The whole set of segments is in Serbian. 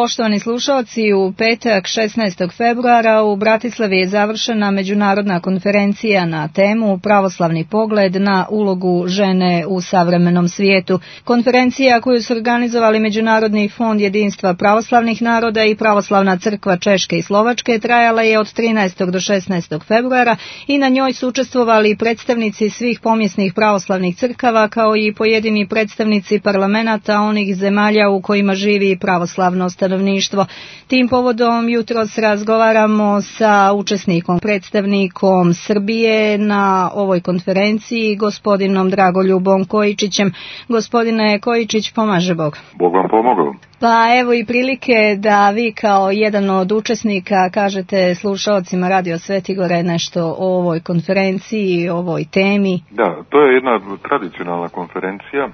Poštovani slušalci, u petak 16. februara u Bratislavi je završena međunarodna konferencija na temu Pravoslavni pogled na ulogu žene u savremenom svijetu. Konferencija koju su organizovali Međunarodni fond jedinstva pravoslavnih naroda i Pravoslavna crkva Češke i Slovačke trajala je od 13. do 16. februara i na njoj su učestvovali predstavnici svih pomjesnih pravoslavnih crkava kao i pojedini predstavnici parlamenata onih zemalja u kojima živi pravoslavno stanovništvo. Tim povodom jutros razgovaramo sa učesnikom, predstavnikom Srbije na ovoj konferenciji, gospodinom Dragoljubom Kojičićem. Gospodine Kojičić, pomaže Bog. Bog vam pomogao. Pa evo i prilike da vi kao jedan od učesnika kažete slušalcima Radio Svetigore nešto o ovoj konferenciji, o ovoj temi. Da, to je jedna tradicionalna konferencija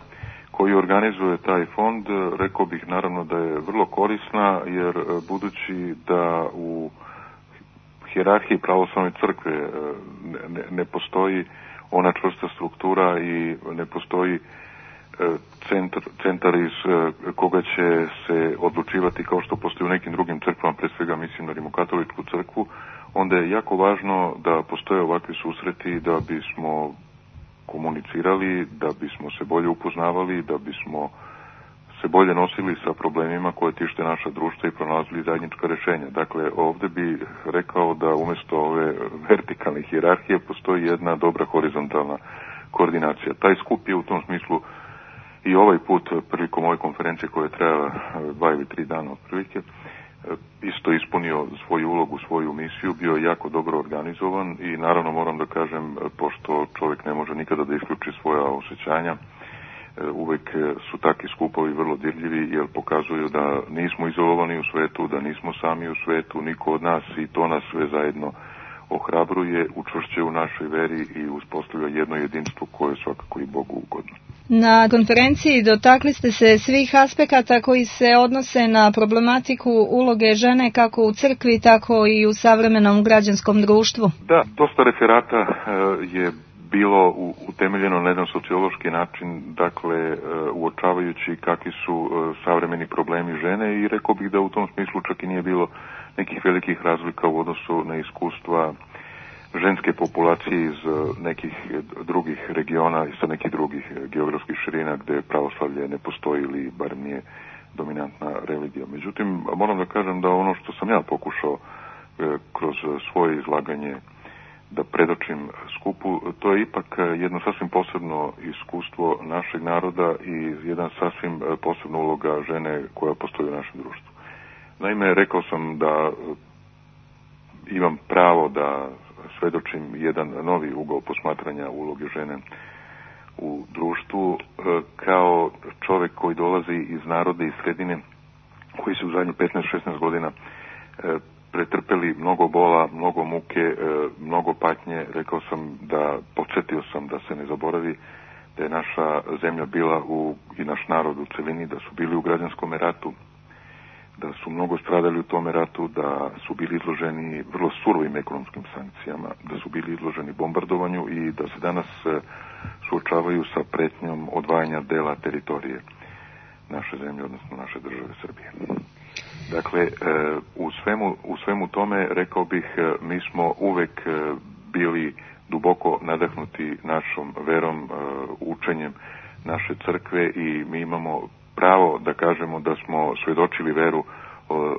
koju organizuje taj fond. Rekao bih naravno da je vrlo korisna, jer budući da u hijerarhiji pravoslavne crkve ne postoji ona čvrsta struktura i ne postoji centar iz koga će se odlučivati kao što postoji u nekim drugim crkvama, pre svega mislim na Rimokatoličku crkvu, onda je jako važno da postoje ovakvi susreti da bismo komunicirali, da bismo se bolje upoznavali, da bismo se bolje nosili sa problemima koje tište naša društva i pronalazili zajednička rješenja. Dakle, ovdje bih rekao da umjesto ove vertikalne hijerarhije postoji jedna dobra horizontalna koordinacija. Taj skup je u tom smislu i ovaj put prilikom ove konferencije koja je trajala 2 ili 3 dana otprilike isto ispunio svoju ulogu, svoju misiju, bio je jako dobro organizovan i naravno moram da kažem, pošto čovjek ne može nikada da isključi svoja osjećanja, uvijek su takvi skupovi vrlo dirljivi jer pokazuju da nismo izolovani u svetu, da nismo sami u svetu, niko od nas, i to nas sve zajedno ohrabruje, učvršćuje u našoj veri i uspostavlja jedno jedinstvo koje je svakako i Bogu ugodno. Na konferenciji dotakli ste se svih aspekata koji se odnose na problematiku uloge žene kako u crkvi, tako i u savremenom građanskom društvu. Da, dosta referata je bilo utemeljeno na jedan sociološki način, dakle uočavajući kakvi su savremeni problemi žene, i rekao bih da u tom smislu čak i nije bilo nekih velikih razlika u odnosu na iskustva ženske populacije iz nekih drugih regiona i sa nekih drugih geografskih širina gdje pravoslavlje ne postoji ili bar nije dominantna religija. Međutim, moram da kažem da ono što sam ja pokušao kroz svoje izlaganje da predočim skupu, to je ipak jedno sasvim posebno iskustvo našeg naroda i jedan sasvim posebna uloga žene koja postoji u našem društvu. Naime, rekao sam da imam pravo da svedočim jedan novi ugao posmatranja uloge žene u društvu kao čovjek koji dolazi iz naroda i sredine koji su u zadnjih 15-16 godina pretrpeli mnogo bola, mnogo muke, mnogo patnje. Rekao sam podsjetio sam da se ne zaboravi da je naša zemlja bila i naš narod u celini, da su bili u građanskom ratu, da su mnogo stradali u tome ratu, da su bili izloženi vrlo surovim ekonomskim sankcijama, da su bili izloženi bombardovanju i da se danas suočavaju sa pretnjom odvajanja dela teritorije naše zemlje, odnosno naše države Srbije. Dakle, u svemu tome, rekao bih, mi smo uvek bili duboko nadahnuti našom verom, učenjem naše crkve i mi imamo pravo da kažemo da smo svjedočili veru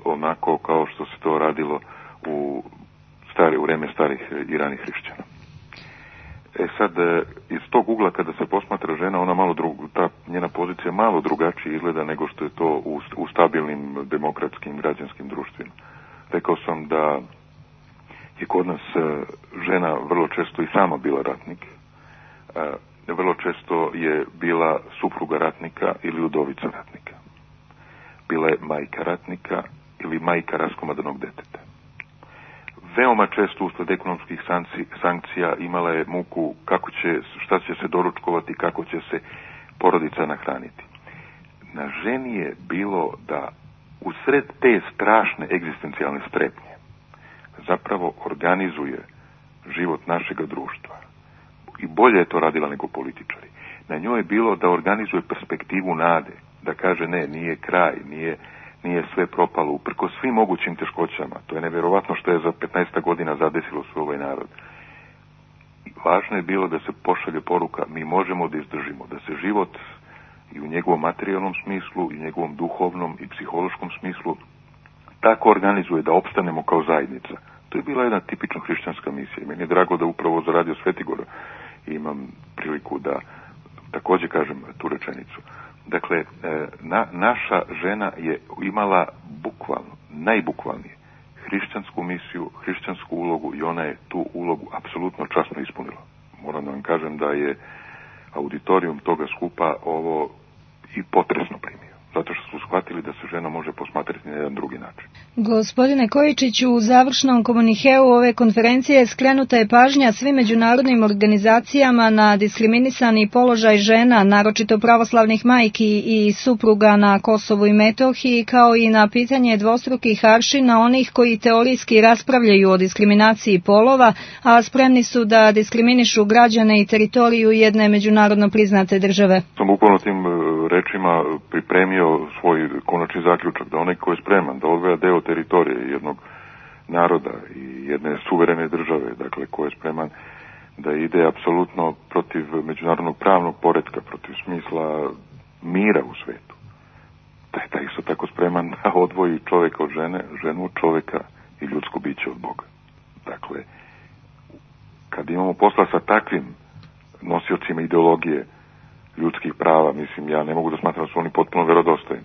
onako kao što se to radilo u vreme starih i ranih hrišćana. Sad, iz tog ugla kada se posmatra žena, ona ta njena pozicija malo drugačije izgleda nego što je to u stabilnim demokratskim građanskim društvima. Rekao sam da je kod nas žena vrlo često i sama bila ratnik. Vrlo često je bila supruga ratnika ili udovica ratnika. Bila je majka ratnika ili majka raskomadanog deteta. Veoma često usled ekonomskih sankcija imala je muku šta će se doručkovati, kako će se porodica nahraniti. Na ženi je bilo da usred te strašne egzistencijalne strepnje zapravo organizuje život našega društva. I bolje je to radila nego političari. Na njoj je bilo da organizuje perspektivu nade, da kaže ne, nije kraj, nije sve propalo uprko svim mogućim teškoćama. To je nevjerovatno što je za 15 godina zadesilo svoj ovaj narod. Važno je bilo da se pošalje poruka, mi možemo da izdržimo, da se život i u njegovom materijalnom smislu, i u njegovom duhovnom i psihološkom smislu tako organizuje da opstanemo kao zajednica. To je bila jedna tipično hrišćanska misija. Meni je drago da upravo za Radio Svetigor imam priliku da također kažem tu rečenicu. Dakle, naša žena je imala bukvalno, najbukvalnije, hrišćansku misiju, hrišćansku ulogu i ona je tu ulogu apsolutno časno ispunila. Moram da vam kažem da je auditorijum toga skupa ovo i potresno primio, zato što su shvatili da se žena može posmatrati na jedan drugi način. Gospodine Kojičiću, u završnom komunikeu ove konferencije skrenuta je pažnja svim međunarodnim organizacijama na diskriminisani položaj žena, naročito pravoslavnih majki i supruga na Kosovu i Metohiji, kao i na pitanje dvostrukih aršina onih koji teorijski raspravljaju o diskriminaciji polova, a spremni su da diskriminišu građane i teritoriju jedne međunarodno priznate države. Sam bukvalno tim rečima pripremio svoj konačni zaključak da onaj ko je spreman da odvaja deo teritorije jednog naroda i jedne suverene države, dakle ko je spreman da ide apsolutno protiv međunarodnog pravnog poretka, protiv smisla mira u svetu, da je taj isto tako spreman da odvoji čovjeka od žene, ženu od čovjeka i ljudsko biće od Boga. Dakle, kad imamo posla sa takvim nosiocima ideologije ljudskih prava, mislim, ja ne mogu da smatram da su oni potpuno vjerodostojni.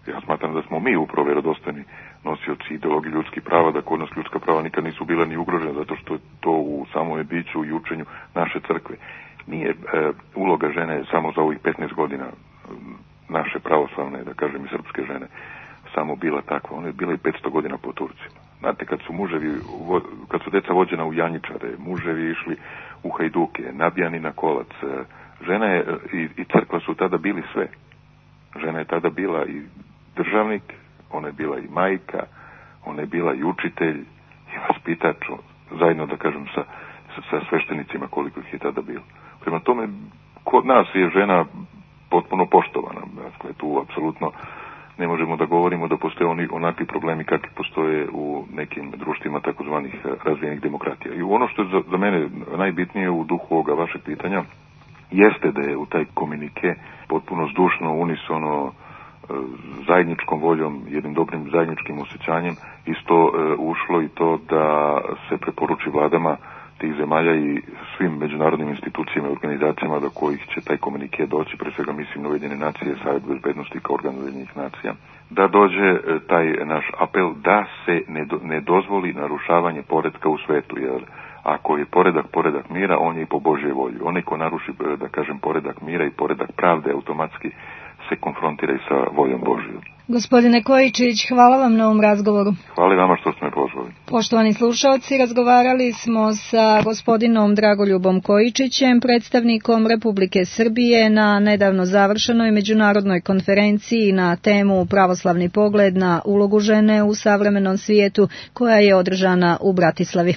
Ja smatram da smo mi upravo vjerodostojni nosioci ideologije ljudskih prava, da kod nas ljudska prava nikad nisu bila ni ugrožena, zato što je to u samom biću i učenju naše crkve. Nije uloga žene samo za ovih 15 godina naše pravoslavne, da kažem i srpske žene, samo bila takva. Ona je bila i 500 godina po Turcima. Znate, kad su deca vođena u janjičare, muževi išli u hajduke, nabijani na kolac, žena je i crkva su tada bili sve. Žena je tada bila i državnik, ona je bila i majka, ona je bila i učitelj i vaspitač, zajedno da kažem sa sveštenicima koliko ih je tada bilo. Prema tome, kod nas je žena potpuno poštovana. Dakle, tu apsolutno ne možemo da govorimo da postoje onakvi problemi kakvi postoje u nekim društvima takozvanih razvijenih demokratija. I ono što je za mene najbitnije u duhu ovoga vašeg pitanja jeste da je u taj komunike potpuno zdušno, unisono, zajedničkom voljom, jednim dobrim zajedničkim osjećanjem isto ušlo i to da se preporuči vladama tih zemalja i svim međunarodnim institucijama i organizacijama do kojih će taj komunike doći, pre svega mislim na Ujedinjene nacije, Savet bezbednosti kao organ Ujedinjenih nacija, da dođe taj naš apel da se ne dozvoli narušavanje poretka u svetu, jer ako je poredak mira, on je i po Božjoj volji. Onaj ko naruši, da kažem, poredak mira i poredak pravde, automatski se konfrontira i sa voljom Božjom. Gospodine Kojičić, hvala vam na ovom razgovoru. Hvala vama što ste me pozvali. Poštovani slušalci, razgovarali smo sa gospodinom Dragoljubom Kojičićem, predstavnikom Republike Srbije na nedavno završenoj međunarodnoj konferenciji na temu Pravoslavni pogled na ulogu žene u savremenom svijetu, koja je održana u Bratislavi.